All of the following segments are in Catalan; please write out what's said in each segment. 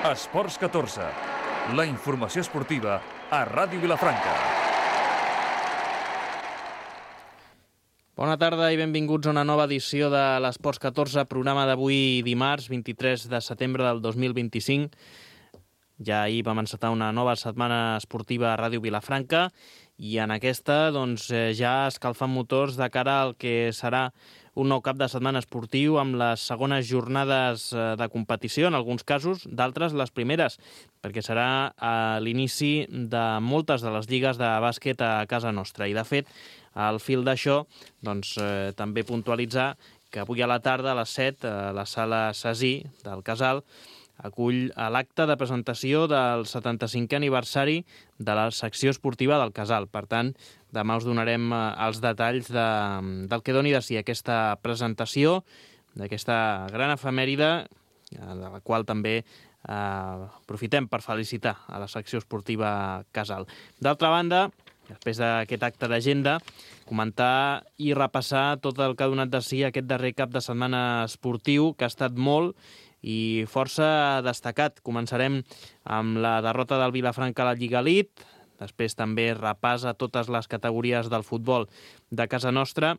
Esports 14, la informació esportiva a Ràdio Vilafranca. Bona tarda i benvinguts a una nova edició de l'Esports 14, programa d'avui dimarts, 23 de setembre del 2025. Ja ahir vam encetar una nova setmana esportiva a Ràdio Vilafranca i en aquesta ja escalfant motors de cara al que serà un nou cap de setmana esportiu amb les segones jornades de competició, en alguns casos, d'altres les primeres, perquè serà l'inici de moltes de les lligues de bàsquet a casa nostra. I, de fet, al fil d'això, també puntualitzar que avui a la tarda, a les 7, a la sala Sasí del Casal, acull l'acte de presentació del 75è aniversari de la secció esportiva del Casal. Per tant, demà us donarem els detalls del que doni de si aquesta presentació, d'aquesta gran efemèride, de la qual també aprofitem per felicitar a la secció esportiva Casal. D'altra banda, després d'aquest acte d'agenda, comentar i repassar tot el que ha donat de si aquest darrer cap de setmana esportiu, que ha estat molt i força destacat. Començarem amb la derrota del Vilafranca a la Lliga Elite, després també repàs a totes les categories del futbol de casa nostra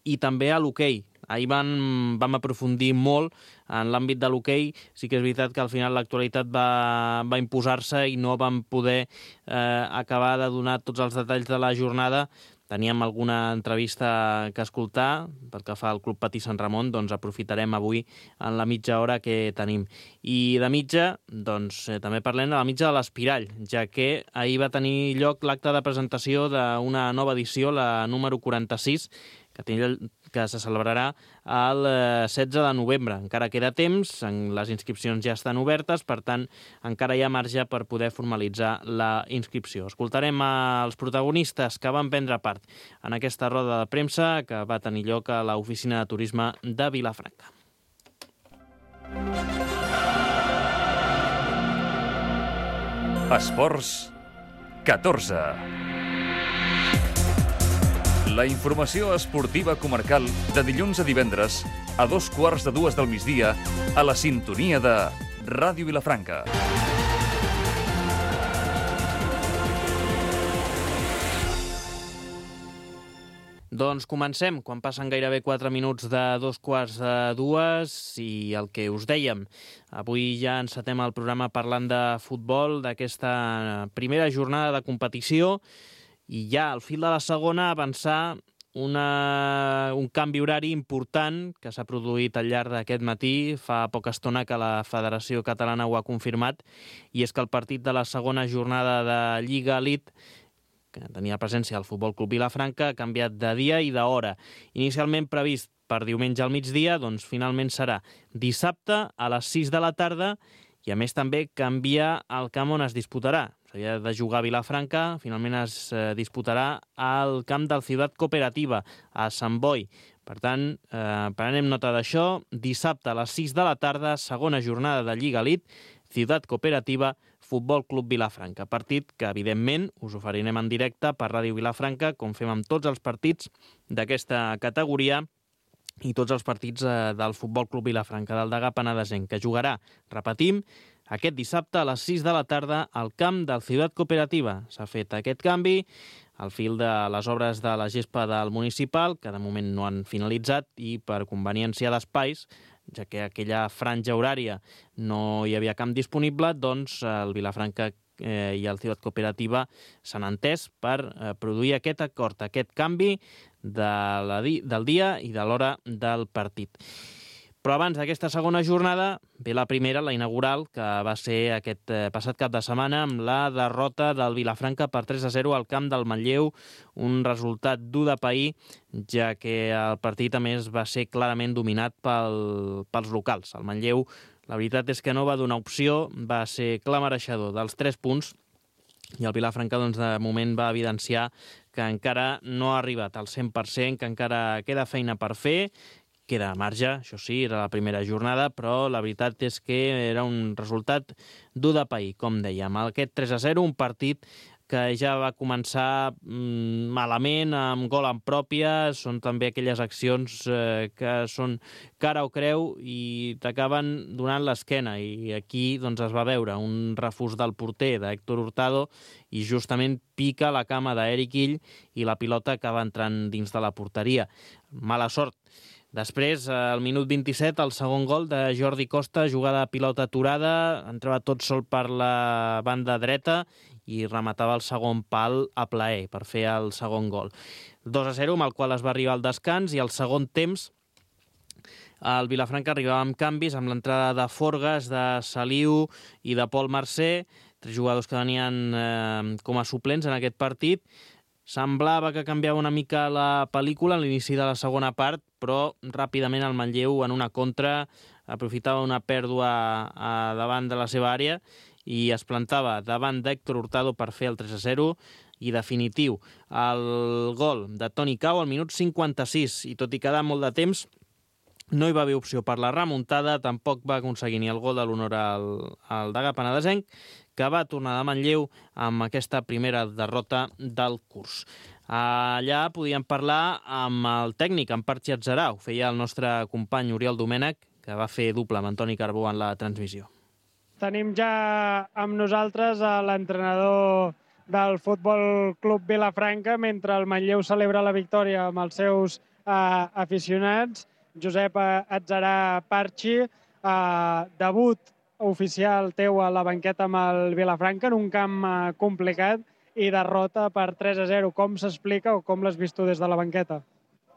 i també a l'hoquei. Ahir vam aprofundir molt en l'àmbit de l'hoquei. Sí que és veritat que al final l'actualitat va imposar-se i no vam poder acabar de donar tots els detalls de la jornada. Teníem alguna entrevista que escoltar pel que fa al Club Patí Sant Ramon, aprofitarem avui en la mitja hora que tenim. I de mitja, també parlem de la mitja de l'Espirall, ja que ahir va tenir lloc l'acte de presentació d'una nova edició, la número 46, que se celebrarà el 16 de novembre. Encara queda temps, les inscripcions ja estan obertes, per tant, encara hi ha marge per poder formalitzar la inscripció. Escoltarem els protagonistes que van prendre part en aquesta roda de premsa que va tenir lloc a l'oficina de turisme de Vilafranca. Esports 14. La informació esportiva comarcal de dilluns a divendres a 2:15 del migdia a la sintonia de Ràdio Vilafranca. Doncs comencem, quan passen gairebé 4 minuts de 2:15 i el que us dèiem. Avui ja encetem el programa parlant de futbol, d'aquesta primera jornada de competició, i ja al fil de la segona avançar un canvi horari important que s'ha produït al llarg d'aquest matí. Fa poca estona que la Federació Catalana ho ha confirmat, i és que el partit de la segona jornada de Lliga Elite, que tenia presència al Futbol Club Vilafranca, ha canviat de dia i d'hora. Inicialment previst per diumenge al migdia, finalment serà dissabte a les 6 de la tarda, i a més també canvia el camp on es disputarà. S'havia de jugar a Vilafranca, finalment es disputarà al camp del Ciutat Cooperativa, a Sant Boi. Per tant, prenem nota d'això, dissabte a les 6 de la tarda, segona jornada de Lliga Elite, Ciutat Cooperativa, Futbol Club Vilafranca. Partit que, evidentment, us oferirem en directe per Ràdio Vilafranca, com fem amb tots els partits d'aquesta categoria i tots els partits del Futbol Club Vilafranca, del Degà Penedesenc, que jugarà, repetim, aquest dissabte a les 6 de la tarda al camp del Ciutat Cooperativa. S'ha fet aquest canvi al fil de les obres de la gespa del municipal, que de moment no han finalitzat, i per conveniència d'espais, ja que aquella franja horària no hi havia camp disponible, el Vilafranca i el Ciutat Cooperativa s'han entès per produir aquest acord, aquest canvi del dia i de l'hora del partit. Però abans d'aquesta segona jornada ve la primera, la inaugural, que va ser aquest passat cap de setmana amb la derrota del Vilafranca per 3-0 al camp del Manlleu, un resultat dur de pair, ja que el partit a més va ser clarament dominat pels locals. El Manlleu, la veritat és que no va donar opció, va ser clar mereixedor dels 3 punts, i el Vilafranca de moment va evidenciar que encara no ha arribat al 100%, que encara queda feina per fer. Queda a marge, això sí, era la primera jornada, però la veritat és que era un resultat dur de pair, com dèiem. Aquest 3-0, un partit que ja va començar malament, amb gol en pròpia. Són també aquelles accions que són cara o creu i t'acaben donant l'esquena. I aquí doncs, es va veure un refús del porter, d'Héctor Hurtado, i justament pica la cama d'Eric Ill i la pilota acaba entrant dins de la porteria. Mala sort. Després, al minut 27, el segon gol de Jordi Costa, jugada de pilota aturada, entrava tot sol per la banda dreta i rematava el segon pal a plaer per fer el segon gol. 2-0, amb el qual es va arribar al descans, i al segon temps el Vilafranca arribava amb canvis, amb l'entrada de Forgas, de Saliu i de Pol Mercè, 3 jugadors que venien com a suplents en aquest partit. Semblava que canviava una mica la pel·lícula a l'inici de la segona part, però ràpidament el Manlleu, en una contra, aprofitava una pèrdua davant de la seva àrea i es plantava davant d'Héctor Hurtado per fer el 3-0 i definitiu. El gol de Toni Cau al minut 56, i tot i quedar molt de temps, no hi va haver opció per la remuntada, tampoc va aconseguir ni el gol de l'honor al Degà penedesenc, que va tornar de Manlleu amb aquesta primera derrota del curs. Allà podíem parlar amb el tècnic, amb Partxi Atzarà. Ho feia el nostre company Oriol Domènech, que va fer doble amb Antoni Carbó en la transmissió. Tenim ja amb nosaltres l'entrenador del Futbol Club Vilafranca, mentre el Manlleu celebra la victòria amb els seus aficionats. Josep Atzarà Partxi, debut oficial teu a la banqueta amb el Vilafranca en un camp complicat i derrota per 3-0. Com s'explica o com l'has vist tu des de la banqueta?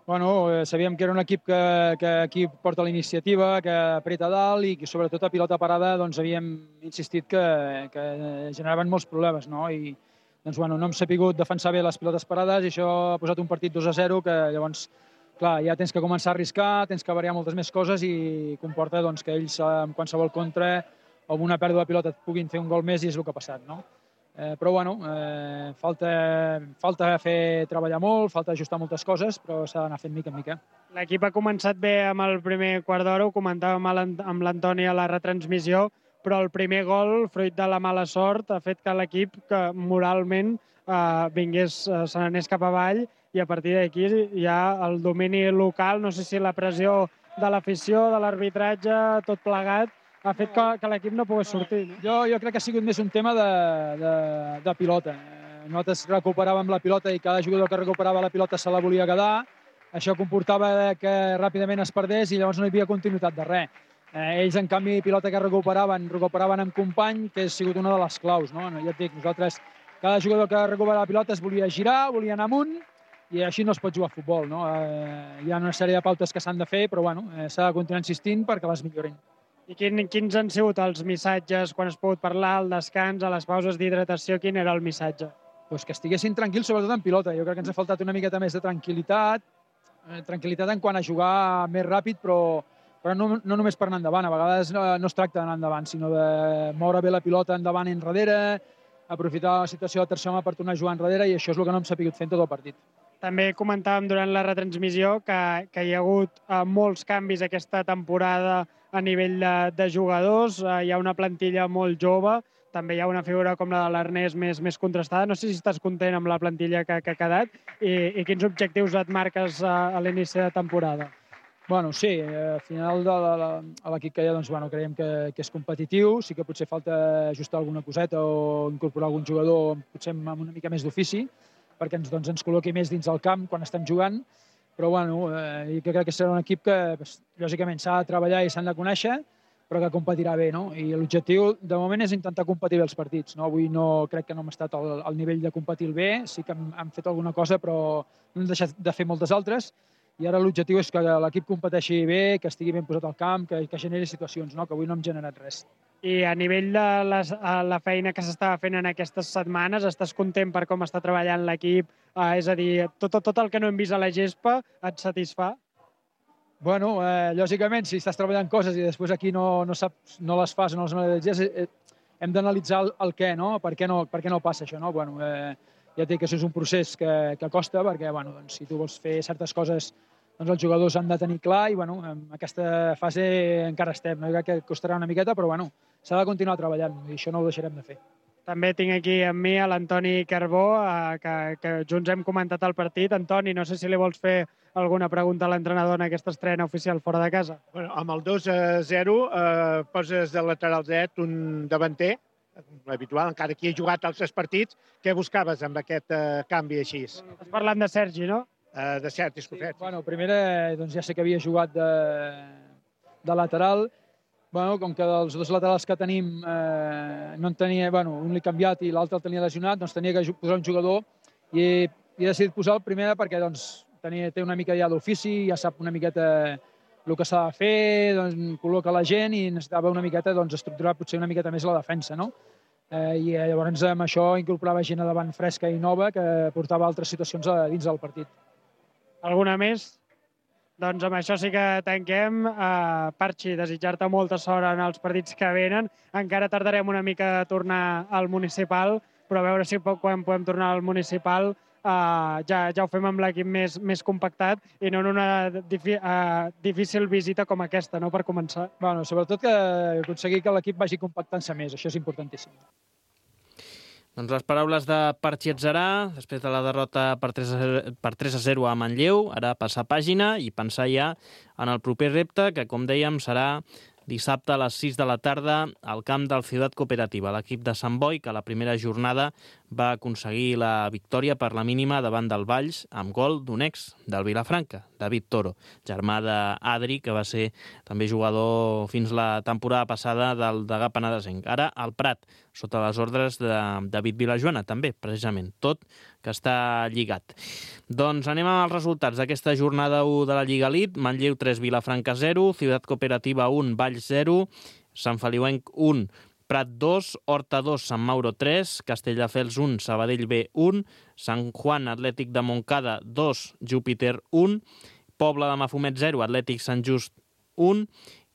Bueno, sabíem que era un equip que aquí porta la iniciativa, que apreta dalt i que sobretot a pilota parada doncs, havíem insistit que generaven molts problemes, no? I doncs, bueno, no hem sapigut defensar bé les pilotes parades i això ha posat un partit 2-0 que llavors, clar, ja tens que començar a arriscar, tens que variar moltes més coses i comporta doncs, que ells amb qualsevol contra o amb una pèrdua de pilota et puguin fer un gol més i és el que ha passat, no? Però bueno, falta fer treballar molt, falta ajustar moltes coses, però s'ha d'anar fent mica en mica. L'equip ha començat bé amb el primer quart d'hora, ho comentàvem amb l'Antoni a la retransmissió, però el primer gol, fruit de la mala sort, ha fet que l'equip que moralment se n'anés cap avall i a partir d'aquí hi ha el domini local, no sé si la pressió de l'afició, de l'arbitratge, tot plegat, ha fet que l'equip no pogués sortir. No? Jo crec que ha sigut més un tema de pilota. Nosaltres recuperàvem la pilota i cada jugador que recuperava la pilota se la volia quedar. Això comportava que ràpidament es perdés i llavors no hi havia continuïtat de res. Ells, en canvi, pilota que recuperaven amb company, que ha sigut una de les claus. No? Ja et dic, nosaltres, cada jugador que recuperava la pilota es volia girar, volia anar amunt, i així no es pot jugar a futbol. No? Hi ha una sèrie de pautes que s'han de fer, però bueno, s'ha de continuar insistint perquè les millorin. I quins han sigut els missatges quan has pogut parlar, al descans, a les pauses d'hidratació? Quin era el missatge? Pues que estiguessin tranquils, sobretot en pilota. Jo crec que ens ha faltat una miqueta més de tranquil·litat en quant a jugar més ràpid, però no només per anar endavant. A vegades no es tracta d'anar endavant, sinó de moure bé la pilota endavant i enrere, aprofitar la situació de tercer home per tornar a jugar enrere, i això és el que no hem sabut fer en tot el partit. També comentàvem durant la retransmissió que hi ha hagut molts canvis aquesta temporada a nivell de jugadors. Hi ha una plantilla molt jove, també hi ha una figura com la de l'Ernest més contrastada. No sé si estàs content amb la plantilla que ha quedat i quins objectius et marques a l'inici de temporada. Bueno, sí, al final a l'equip que hi ha doncs, bueno, creiem que és competitiu, sí que potser falta ajustar alguna coseta o incorporar algun jugador potser amb una mica més d'ofici, perquè ens col·loqui més dins del camp quan estem jugant, però bueno, jo crec que serà un equip que lògicament s'ha de treballar i s'han de conèixer, però que competirà bé, no? I l'objectiu de moment és intentar competir bé els partits, no? Avui crec que no hem estat al nivell de competir bé, sí que hem fet alguna cosa, però no hem deixat de fer moltes altres, i ara l'objectiu és que l'equip competeixi bé, que estigui ben posat al camp, que generi situacions, no? Que avui no hem generat res. I a nivell de la feina que s'estava fent en aquestes setmanes, estàs content per com està treballant l'equip? És a dir, tot el que no hem vist a la gespa et satisfà? Bueno, lògicament, si estàs treballant coses i després aquí no les fas o no les analitzes, hem d'analitzar el què, no? Per què no passa això, no? Bueno, ja et dic que això és un procés que costa, perquè bueno, doncs, si tu vols fer certes coses, doncs els jugadors han de tenir clar i bueno, en aquesta fase encara estem. No? Jo crec que costarà una miqueta, però bueno, s'ha de continuar treballant i això no ho deixarem de fer. També tinc aquí amb mi a l'Antoni Carbó, que junts hem comentat el partit. Antoni, no sé si li vols fer alguna pregunta a l'entrenador en aquesta estrena oficial fora de casa. Bueno, amb el 2-0 poses de lateral dret un davanter, habitual, encara que he jugat als 3 partits. Què buscaves amb aquest canvi així? Estàs parlant de Sergi, no? De Sergi Escofet. Sí, bueno, primera, doncs ja sé que havia jugat de lateral. Bueno, com que dels 2 laterals que tenim no en tenia, bueno, un l'he canviat i l'altre el tenia lesionat, doncs tenia que posar un jugador i he decidit posar el primer perquè doncs, té una mica ja d'ofici, ja sap una miqueta el que s'ha de fer, doncs, col·loca la gent i necessitava una miqueta doncs, estructurar potser una miqueta més la defensa, no? I llavors amb això incorporava gent a davant fresca i nova que portava altres situacions dins del partit. Alguna més? Doncs amb això sí que tanquem. Parchi, desitjar-te molta sort en els partits que venen. Encara tardarem una mica a tornar al municipal, però a veure si quan podem tornar al municipal ja ho fem amb l'equip més compactat i no en una difícil visita com aquesta, no, per començar. Bueno, sobretot que aconseguir que l'equip vagi compactant-se més, això és importantíssim. Doncs les paraules de Parchi Atzarà, després de la derrota per 3-0 a Manlleu, ara passar pàgina i pensar ja en el proper repte, que com dèiem serà dissabte a les 6 de la tarda al camp del Ciutat Cooperativa. L'equip de Sant Boi, que a la primera jornada va aconseguir la victòria per la mínima davant del Valls amb gol d'un ex del Vilafranca, David Toro, germà d'Adri, que va ser també jugador fins la temporada passada del Degà Penedesenc. Ara al Prat, sota les ordres de David Vilajoana, també, precisament, tot que està lligat. Doncs anem amb els resultats d'aquesta jornada 1 de la Lliga Elite. Manlleu 3, Vilafranca 0, Ciutat Cooperativa 1, Valls 0, Sant Feliuenc 1, Prat 2, Horta 2, Sant Mauro 3, Castelldefels 1, Sabadell B 1, Sant Juan Atlètic de Montcada 2, Júpiter 1, Pobla de Mafumet 0, Atlètic Sant Just 1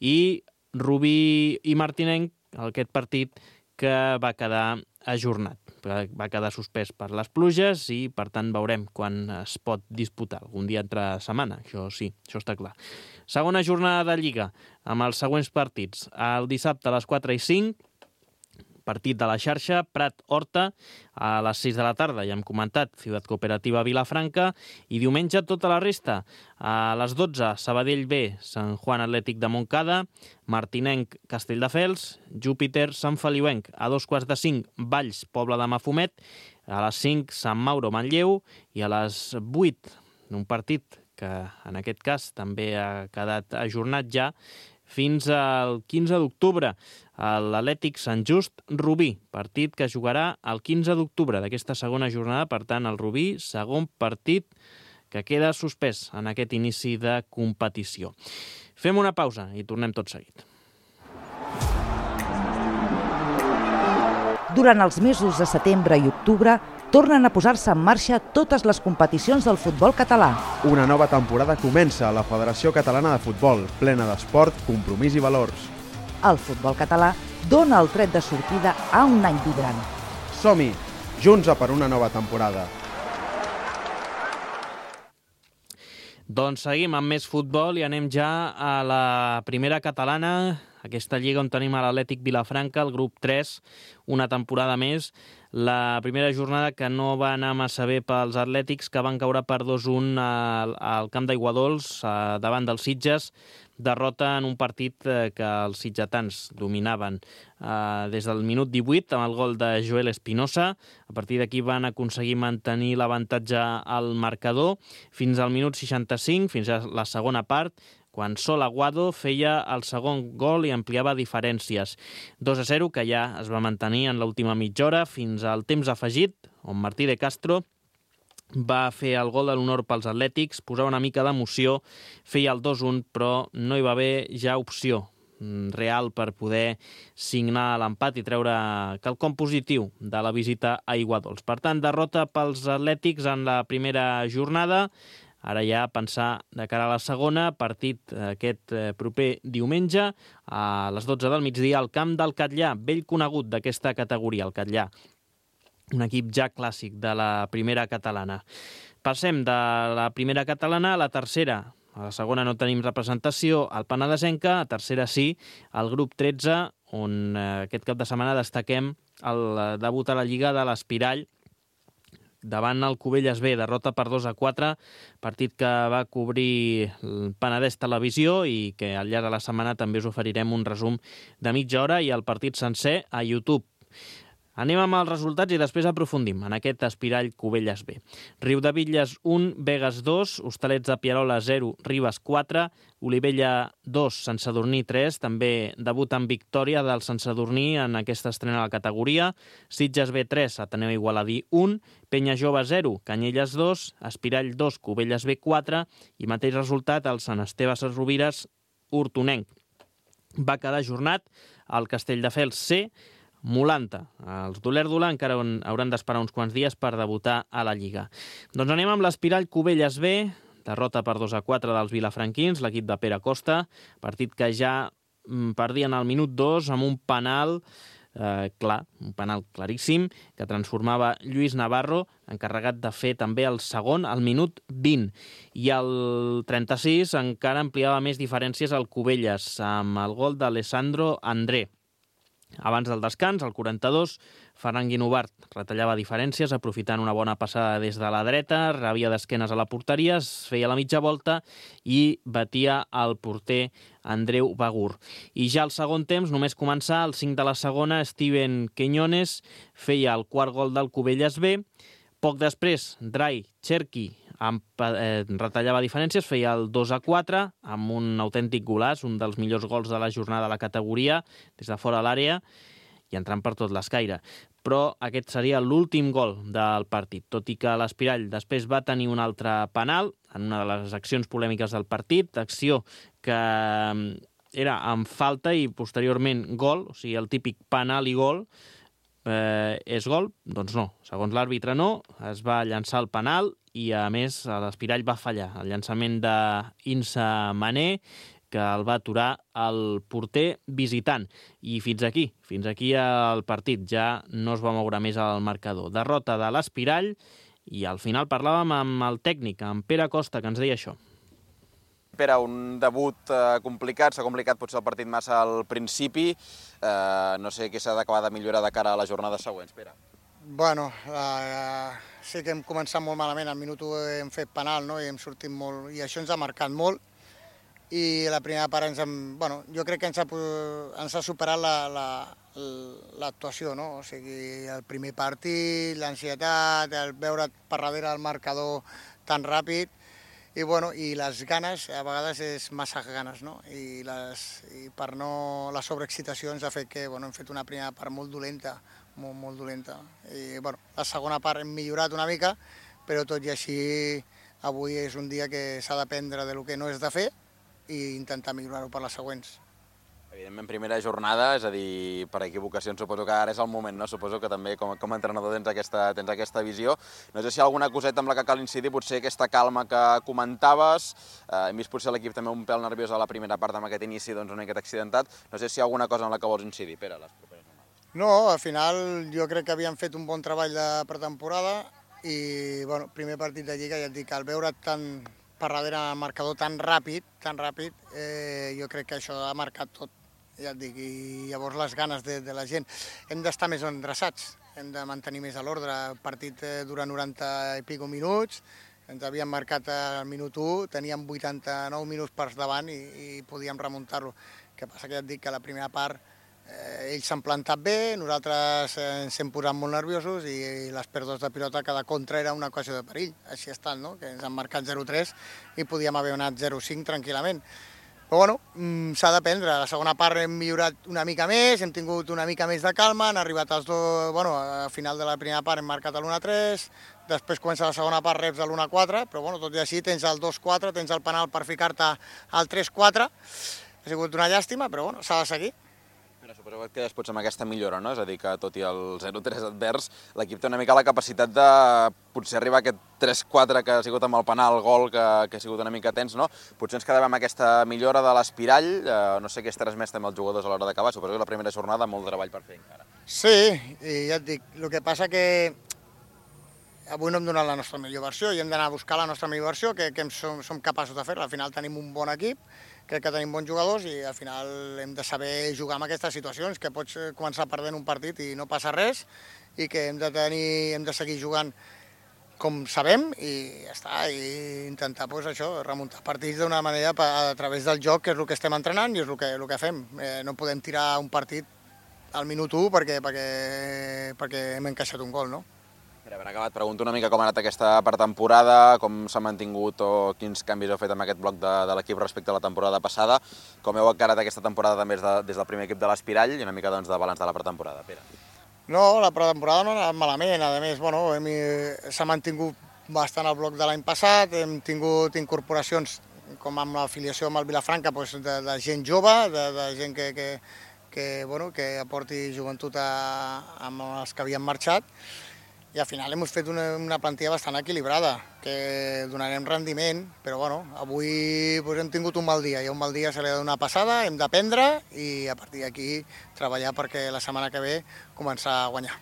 i Rubí i Martinenc, aquest partit que va quedar ajornat. Va quedar suspès per les pluges i, per tant, veurem quan es pot disputar. Algun dia entre setmana, això sí, això està clar. Segona jornada de Lliga, amb els següents partits. El dissabte a les 4 i 5, partit de la xarxa, Prat-Horta, a les 6 de la tarda, ja hem comentat, Ciutat Cooperativa Vilafranca, i diumenge tota la resta. A les 12, Sabadell B, Sant Juan Atlètic de Montcada, Martinenc, Castelldefels, Júpiter, Sant Feliuenc, a 4:45, Valls, Pobla de Mafumet, a les 5, Sant Mauro, Manlleu, i a les 8, un partit que en aquest cas també ha quedat ajornat ja, fins al 15 d'octubre, l'Atlètic Sant Just Rubí, partit que jugarà el 15 d'octubre d'aquesta segona jornada. Per tant, el Rubí, segon partit que queda suspès en aquest inici de competició. Fem una pausa i tornem tot seguit. Durant els mesos de setembre i octubre tornen a posar-se en marxa totes les competicions del futbol català. Una nova temporada comença a la Federació Catalana de Futbol, plena d'esport, compromís i valors. El futbol català dona el tret de sortida a un any vibrant. Som-hi, junts a per una nova temporada. Doncs seguim amb més futbol i anem ja a la primera catalana, aquesta lliga on tenim a l'Atlètic Vilafranca, el grup 3, una temporada més. La primera jornada que no va anar massa bé pels atlètics, que van caure per 2-1 al camp d'Aiguadols davant dels Sitges. Derrota en un partit que els sitgetans dominaven des del minut 18 amb el gol de Joel Espinosa. A partir d'aquí van aconseguir mantenir l'avantatge al marcador fins al minut 65, fins a la segona part, quan Sol Aguado feia el segon gol i ampliava diferències. 2-0, que ja es va mantenir en l'última mitja hora fins al temps afegit, on Martí de Castro va fer el gol de l'honor pels atlètics, posava una mica d'emoció, feia el 2-1, però no hi va haver ja opció real per poder signar l'empat i treure quelcom positiu de la visita a Aiguadols. Per tant, derrota pels atlètics en la primera jornada. Ara ja pensar de cara a la segona, partit aquest proper diumenge a les 12 del migdia al camp del Catllà, vell conegut d'aquesta categoria, el Catllà. Un equip ja clàssic de la primera catalana. Passem de la primera catalana a la tercera. A la segona no tenim representació al Penedesenca, a tercera sí, el grup 13, on aquest cap de setmana destaquem el debut a la Lliga de l'Espirall davant el Cubelles B, derrota per 2-4, partit que va cobrir el Penedès Televisió i que al llarg de la setmana també us oferirem un resum de mitja hora i el partit sencer a YouTube. Anem amb els resultats i després aprofundim en aquest Espirall Cubelles B. Riudebitlles 1, Begues 2, Hostalets de Pierola 0, Ribes 4, Olivella 2, Sant Sadurní 3, també debut en victòria del Sant Sadurní en aquesta estrena a la categoria, Sitges B 3, Ateneu Igualadí 1, Penya Jove 0, Canyelles 2, Espirall 2, Cubelles B 4 i mateix resultat el Sant Esteve Sesrovires Hortonenc. Va quedar ajornat el Castelldefels C, Molanta. Els d'Olèrdola encara hauran d'esperar uns quants dies per debutar a la Lliga. Doncs anem amb l'Espirall Cubelles B, derrota per 2-4 dels vilafranquins, l'equip de Pere Costa, partit que ja perdien al minut 2 amb un penal un penal claríssim, que transformava Lluís Navarro, encarregat de fer també el segon al minut 20. I al 36 encara ampliava més diferències al Cubelles, amb el gol d'Alessandro André. Abans del descans, al 42, Ferran Guinovart retallava diferències, aprofitant una bona passada des de la dreta, rebia d'esquenes a la porteria, es feia la mitja volta i batia el porter Andreu Bagur. I ja al segon temps, només començar, al 5 de la segona, Steven Quiñones feia el quart gol del Cubelles B. Poc després, Drai Cherki retallava diferències, feia el 2-4 amb un autèntic golaç, un dels millors gols de la jornada de la categoria, des de fora de l'àrea i entrant per tot l'escaire. Però aquest seria l'últim gol del partit, tot i que l'Espirall després va tenir un altre penal en una de les accions polèmiques del partit, acció que era amb falta i posteriorment gol, o sigui, el típic penal i gol. És gol? Doncs no. Segons l'àrbitre no, es va llançar el penal i, a més, l'Espirall va fallar. El llançament d'Insa Mané, que el va aturar el porter visitant. I fins aquí el partit. Ja no es va moure més al marcador. Derrota de l'Espirall i al final parlàvem amb el tècnic, amb Pere Costa, que ens deia això. Pere, un debut complicat, s'ha complicat potser el partit massa al principi. No sé què s'ha d'acabar de millorar de cara a les jornades següents, Pere. Bueno, sí que hem començat molt malament, al minut 1 hem fet penal, no? I hem sortit molt, i això ens ha marcat molt. I la primera part jo crec que ens ha superat l'actuació, no? O sigui, el primer partit, l'ansietat, el veure per darrere el marcador tan ràpid, i les ganes, a vegades és massa ganes, no? I per no la sobreexcitació ens ha fet que hem fet una primera part molt dolenta, molt dolenta. I la segona part hem millorat una mica, però tot i així avui és un dia que s'ha d'aprendre del que no és de fer i intentar millorar-ho per les següents. Evidentment, primera jornada, és a dir, per equivocacions suposo que ara és el moment, no? Suposo que també com a entrenador tens aquesta visió. No sé si hi ha alguna coseta amb la que cal incidir, potser aquesta calma que comentaves. Hem vist potser l'equip també un pèl nerviós a la primera part amb aquest inici una miqueta accidentat. No sé si hi ha alguna cosa en la que vols incidir, Pere, les properes jornades. No, al final jo crec que havíem fet un bon treball de pretemporada i, primer partit de Lliga, ja et dic, al veure tan per darrere el marcador tan ràpid, jo crec que això ha marcat tot. Ja et dic, i llavors les ganes de la gent. Hem d'estar més endreçats, hem de mantenir més a l'ordre. El partit dura 90 i pico minuts, ens havien marcat al minut 1, teníem 89 minuts per davant i podíem remuntar-lo. El que passa que ja et dic que la primera part ells s'han plantat bé, nosaltres ens hem posat molt nerviosos i les pèrdues de pilota cada contra era una ocasió de perill. Així ha estat, no? Que ens han marcat 0-3 i podíem haver anat 0-5 tranquil·lament. Però s'ha d'aprendre. A la segona part hem millorat una mica més, hem tingut una mica més de calma, han arribat els dos, al final de la primera part hem marcat l'1-3, després comença la segona part, reps l'1-4, però tot i així tens el 2-4, tens el penal per ficar-te al 3-4. Ha sigut una llàstima, però s'ha de seguir. Suposo que quedes potser amb aquesta millora, no? És a dir, que tot i el 0-3 advers, l'equip té una mica la capacitat de potser arribar a aquest 3-4 que ha sigut amb el penal, el gol, que ha sigut una mica tens, no? Potser ens quedàvem amb aquesta millora de l'Espirall, no sé què has transmès també als jugadors a l'hora d'acabar, suposo que la primera jornada molt treball per fer encara. Sí, i ja et dic, el que passa que avui no hem donat la nostra millor versió i hem d'anar a buscar la nostra millor versió, que som capaços de fer-la. Al final tenim un bon equip crec que tenim bons jugadors i al final hem de saber jugar en aquestes situacions, que pots començar perdent un partit i no passa res, i que hem de seguir jugant com sabem i ja està, i intentar remuntar partits d'una manera a través del joc, que és el que estem entrenant i és el que fem. No podem tirar un partit al minut 1 perquè hem encaixat un gol, no? Per haver acabat, pregunto una mica com ha anat aquesta pretemporada, com s'ha mantingut o quins canvis heu fet amb aquest bloc de l'equip respecte a la temporada passada, com heu encarat aquesta temporada també des del primer equip de l'Espirall i una mica de balanç de la pretemporada, Pere. No, la pretemporada no ha anat malament, a més, s'ha mantingut bastant el bloc de l'any passat, hem tingut incorporacions com amb l'afiliació amb el Vilafranca, de gent jove, de gent que aporti joventut amb els que havien marxat, i al final hem fet una plantilla bastant equilibrada, que donarem rendiment, però avui hem tingut un mal dia, i a un mal dia se li ha de donar passada, hem d'aprendre i a partir d'aquí treballar perquè la setmana que ve començar a guanyar.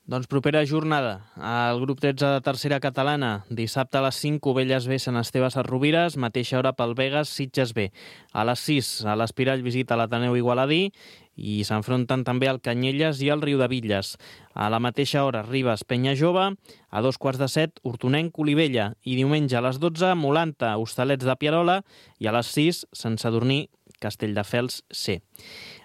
Doncs propera jornada, al grup 13 de tercera catalana, dissabte a les 5, Cubelles B, Sant Esteve Sesrovires, mateixa hora pel Begues, Sitges B. A les 6, a l'Espirall visita l'Ateneu Igualadí i s'enfronten també el Canyelles i el Riudebitlles. A la mateixa hora, Ribes, Penya Jove, a 2:15, Hortonenc, Olivella, i diumenge a les 12, Molanta, Hostalets de Pierola, i a les 6, Sant Sadurní, Castelldefels C.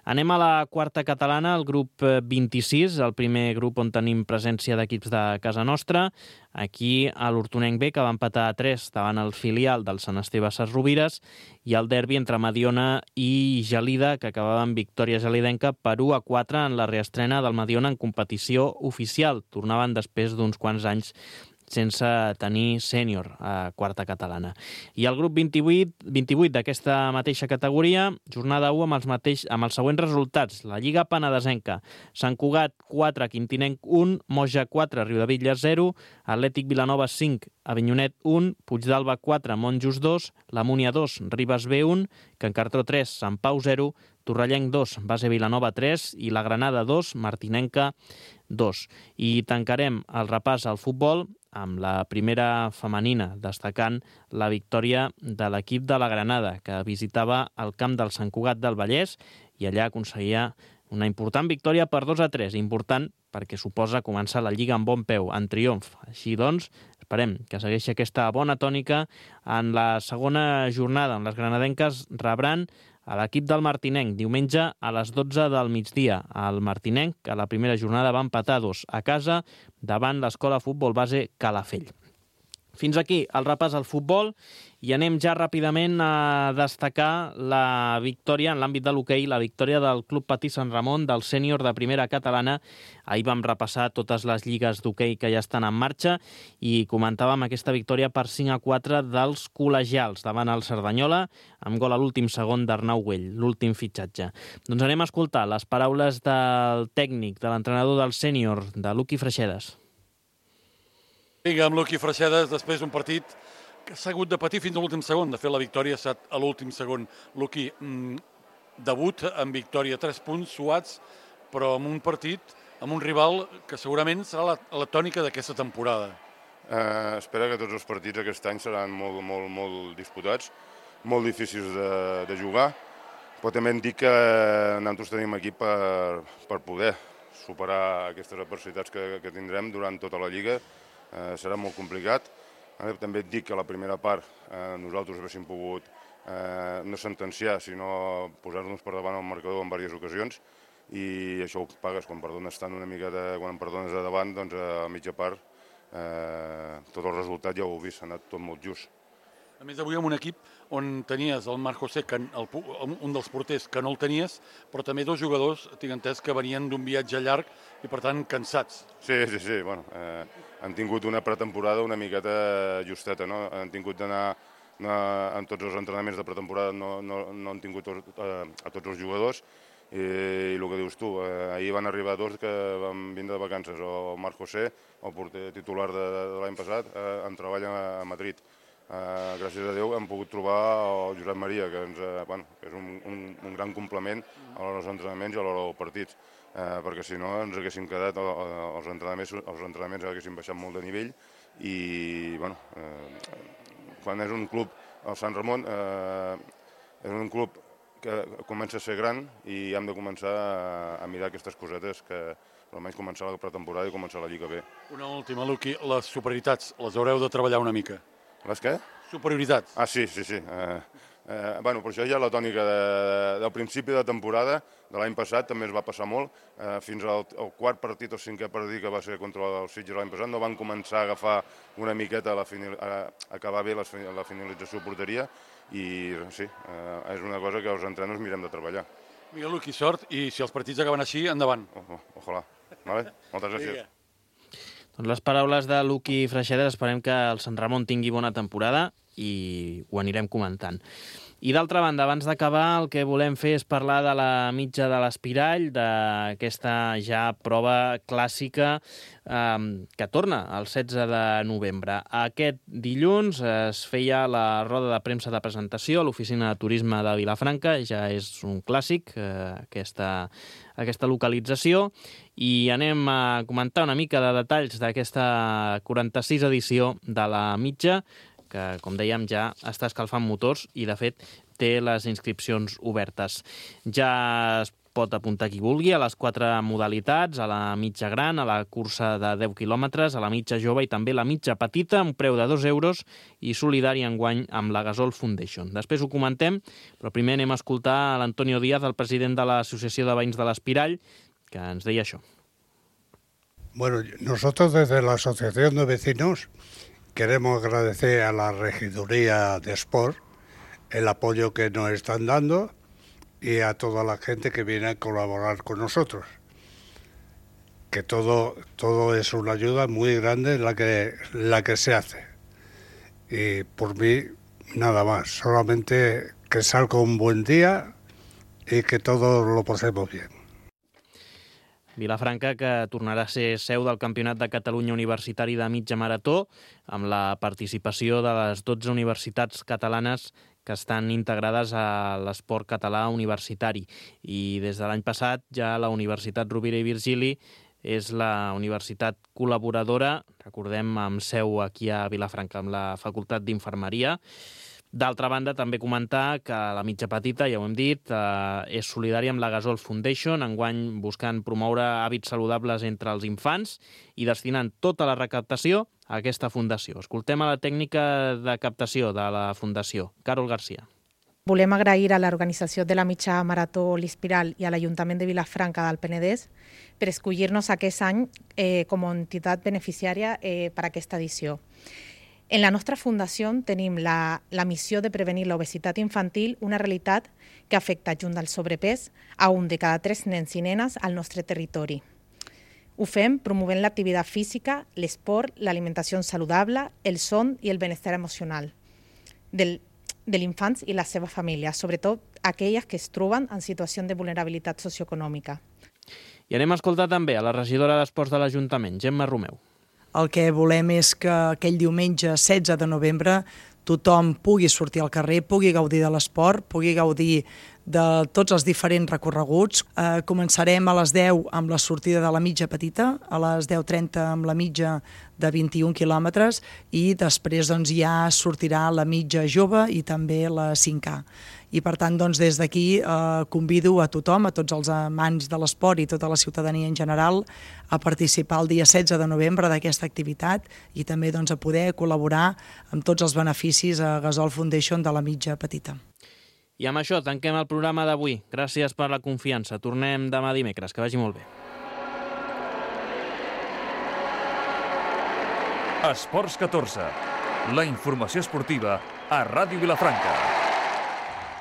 Anem a la quarta catalana, el grup 26, el primer grup on tenim presència d'equips de casa nostra. Aquí a l'Hortonenc B, que va empatar a 3 davant el filial del Sant Esteve Sesrovires, i el derbi entre Mediona i Gelida, que acabava amb victòria gelidenca per 1-4 en la reestrena del Mediona en competició oficial. Tornaven després d'uns quants anys sense tenir sènior a quarta catalana. I el grup 28 d'aquesta mateixa categoria, jornada 1 amb els següents resultats. La Lliga Penedesenca, Sant Cugat 4, Quintinenc 1, Moja 4, Riudebitlles 0, Atlètic Vilanova 5, Avinyonet 1, Puigdàlber 4, Monjos 2, la Múnia 2, Ribes B 1, Can Cartró 3, Sant Pau 0, Torrellenc 2, Base Vilanova 3 i la Granada 2, Martinenca 2. I tancarem el repàs al futbol amb la primera femenina, destacant la victòria de l'equip de la Granada, que visitava el camp del Sant Cugat del Vallès i allà aconseguia una important victòria per 2-3, important perquè suposa començar la Lliga amb bon peu, en triomf. Així doncs, esperem que segueixi aquesta bona tònica en la segona jornada, on les granadenques rebran a l'equip del Martinenc, diumenge a les 12 del migdia. El Martinenc, a la primera jornada, va empatar 2 a casa davant l'Escola Futbol Base Calafell. Fins aquí el repàs al futbol i anem ja ràpidament a destacar la victòria en l'àmbit de l'hoquei, la victòria del Club Patí Sant Ramon, del sènior de primera catalana. Ahir vam repassar totes les lligues d'hoquei que ja estan en marxa i comentàvem aquesta victòria per 5-4 dels col·legials davant el Cerdanyola, amb gol a l'últim segon d'Arnau Güell, l'últim fitxatge. Doncs anem a escoltar les paraules del tècnic, de l'entrenador del sènior, de Luqui Freixedes. Vinga, amb Luqui Freixedes, després d'un partit que s'ha hagut de patir fins a l'últim segon. De fet, la victòria ha estat a l'últim segon. Luqui, debut amb victòria, 3 punts suats, però amb un partit, amb un rival que segurament serà la tònica d'aquesta temporada. Espero que tots els partits aquest any seran molt disputats, molt difícils de jugar, però també em dic que nosaltres tenim equip per poder superar aquestes adversitats que tindrem durant tota la Lliga. Serà molt complicat. També et dic que la primera part nosaltres haguéssim pogut no sentenciar, sinó posar-nos per davant al marcador en diverses ocasions, i això ho pagues quan perdones tant una miqueta, quan perdones de davant, doncs a mitja part tot el resultat ja ho heu vist, ha anat tot molt just. A més, avui amb un equip on tenies el Marc José, un dels porters que no el tenies, però també 2 jugadors, tinc entès, que venien d'un viatge llarg i, per tant, cansats. Sí, bueno, han tingut una pretemporada una miqueta justeta, no? Han tingut d'anar en tots els entrenaments de pretemporada, no han tingut a tots els jugadors, i el que dius tu, ahir van arribar 2 que van vindre de vacances, el Marc José, el porter titular de l'any passat, en treball a Madrid. Gràcies a Déu hem pogut trobar el Josep Maria, que és un gran complement a l'hora dels entrenaments i a l'hora dels partits, perquè si no ens haguéssim quedat, els entrenaments haguéssim baixat molt de nivell, i quan és un club el Sant Ramon és un club que comença a ser gran i hem de començar a mirar aquestes cosetes que almenys començar la pretemporada i començar la Lliga bé. Una última, Luqui, les superioritats, les haureu de treballar una mica. Les què? Superioritats. Ah, sí. Per això ja la tònica del principi de temporada de l'any passat també es va passar molt. Fins al quart partit o cinquè partit que va ser contra el Sitges l'any passat no van començar a agafar una miqueta a acabar bé la finalització de porteria i sí, és una cosa que els entrenadors mirem de treballar. Miguel Luqui, sort, i si els partits acaben així, endavant. Ojalà. Vale? Moltes gràcies. Doncs les paraules de Luqui Freixedes, esperem que el Sant Ramon tingui bona temporada i ho anirem comentant. I d'altra banda, abans d'acabar, el que volem fer és parlar de la mitja de l'Espirall, d'aquesta ja prova clàssica que torna el 16 de novembre. Aquest dilluns es feia la roda de premsa de presentació a l'oficina de turisme de Vilafranca, ja és un clàssic aquesta localització, i anem a comentar una mica de detalls d'aquesta 46 edició de la mitja, que, com dèiem, ja està escalfant motors i, de fet, té les inscripcions obertes. Ja es pot apuntar qui vulgui a les 4 modalitats, a la mitja gran, a la cursa de 10 quilòmetres, a la mitja jove i també la mitja petita, un preu de 2 euros i solidari enguany amb la Gasol Foundation. Després ho comentem, però primer anem a escoltar l'Antonio Díaz, el president de l'Associació de Veïns de l'Espirall, que ens deia això. Bueno, nosotros desde la Asociación de Vecinos queremos agradecer a la Regiduría de Sport el apoyo que nos están dando y a toda la gente que viene a colaborar con nosotros. Que todo es una ayuda muy grande la que se hace. Y por mí, nada más. Solamente que salga un buen día y que todos lo pasemos bien. Vilafranca, que tornarà a ser seu del Campionat de Catalunya Universitari de Mitja Marató, amb la participació de les 12 universitats catalanes que estan integrades a l'esport català universitari. I des de l'any passat ja la Universitat Rovira i Virgili és la universitat col·laboradora, recordem, amb seu aquí a Vilafranca, amb la Facultat d'Infermeria. D'altra banda, també comentar que la mitja petita, ja ho hem dit, és solidària amb la Gasol Foundation, enguany buscant promoure hàbits saludables entre els infants i destinant tota la recaptació a aquesta fundació. Escoltem a la tècnica de captació de la fundació, Carol Garcia. Volem agrair a l'organització de la mitja marató l'Espiral i a l'Ajuntament de Vilafranca del Penedès per escollir-nos aquest any com a entitat beneficiària per a aquesta edició. En la nostra fundació tenim la missió de prevenir l'obesitat infantil, una realitat que afecta, junt del sobrepès, a un de cada 3 nens i nenes al nostre territori. Ho fem promovent l'activitat física, l'esport, l'alimentació saludable, el son i el benestar emocional de l'infants i la seva família, sobretot aquelles que es troben en situació de vulnerabilitat socioeconòmica. I anem a escoltar també a la regidora d'Esports de l'Ajuntament, Gemma Romeu. El que volem és que aquell diumenge 16 de novembre tothom pugui sortir al carrer, pugui gaudir de l'esport, pugui gaudir de tots els diferents recorreguts. Començarem a les 10 amb la sortida de la mitja petita, a les 10:30 amb la mitja de 21 quilòmetres i després ja sortirà la mitja jove i també la 5K. I per tant, des d'aquí convido a tothom, a tots els amants de l'esport i tota la ciutadania en general, a participar el dia 16 de novembre d'aquesta activitat i també a poder col·laborar amb tots els beneficis a Gasol Foundation de la mitja petita. I amb això tanquem el programa d'avui. Gràcies per la confiança. Tornem demà dimecres. Que vagi molt bé. Esports 14. La informació esportiva a Ràdio Vilafranca.